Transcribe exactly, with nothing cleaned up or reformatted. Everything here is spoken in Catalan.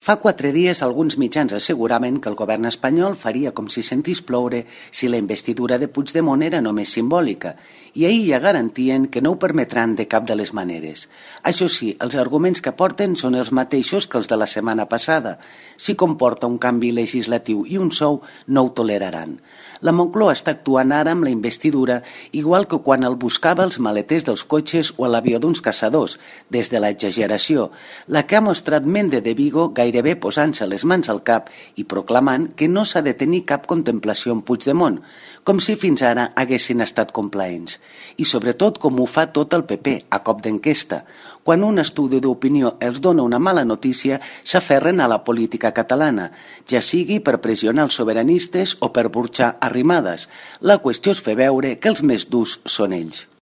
Fa quatre dies alguns mitjans asseguraven que el govern espanyol faria com si sentís ploure si la investidura de Puigdemont era només simbòlica, i ahir ja garantien que no ho permetran de cap de les maneres. Això sí, els arguments que porten són els mateixos que els de la setmana passada. Si comporta un canvi legislatiu i un sou, no ho toleraran. La Moncloa està actuant ara amb la investidura igual que quan el buscava els maleters dels cotxes o a l'avió d'uns caçadors, des de l'exageració, la que ha mostrat Méndez de Vigo gairebé posant-se les mans al cap i proclamant que no s'ha de tenir cap contemplació en Puigdemont, com si fins ara haguessin estat complaents. I sobretot com ho fa tot el P P, a cop d'enquesta. Quan un estudi d'opinió els dona una mala notícia, s'aferren a la política catalana, ja sigui per pressionar els sobiranistes o per burxar Arrimadas. La qüestió és fer veure que els més durs són ells.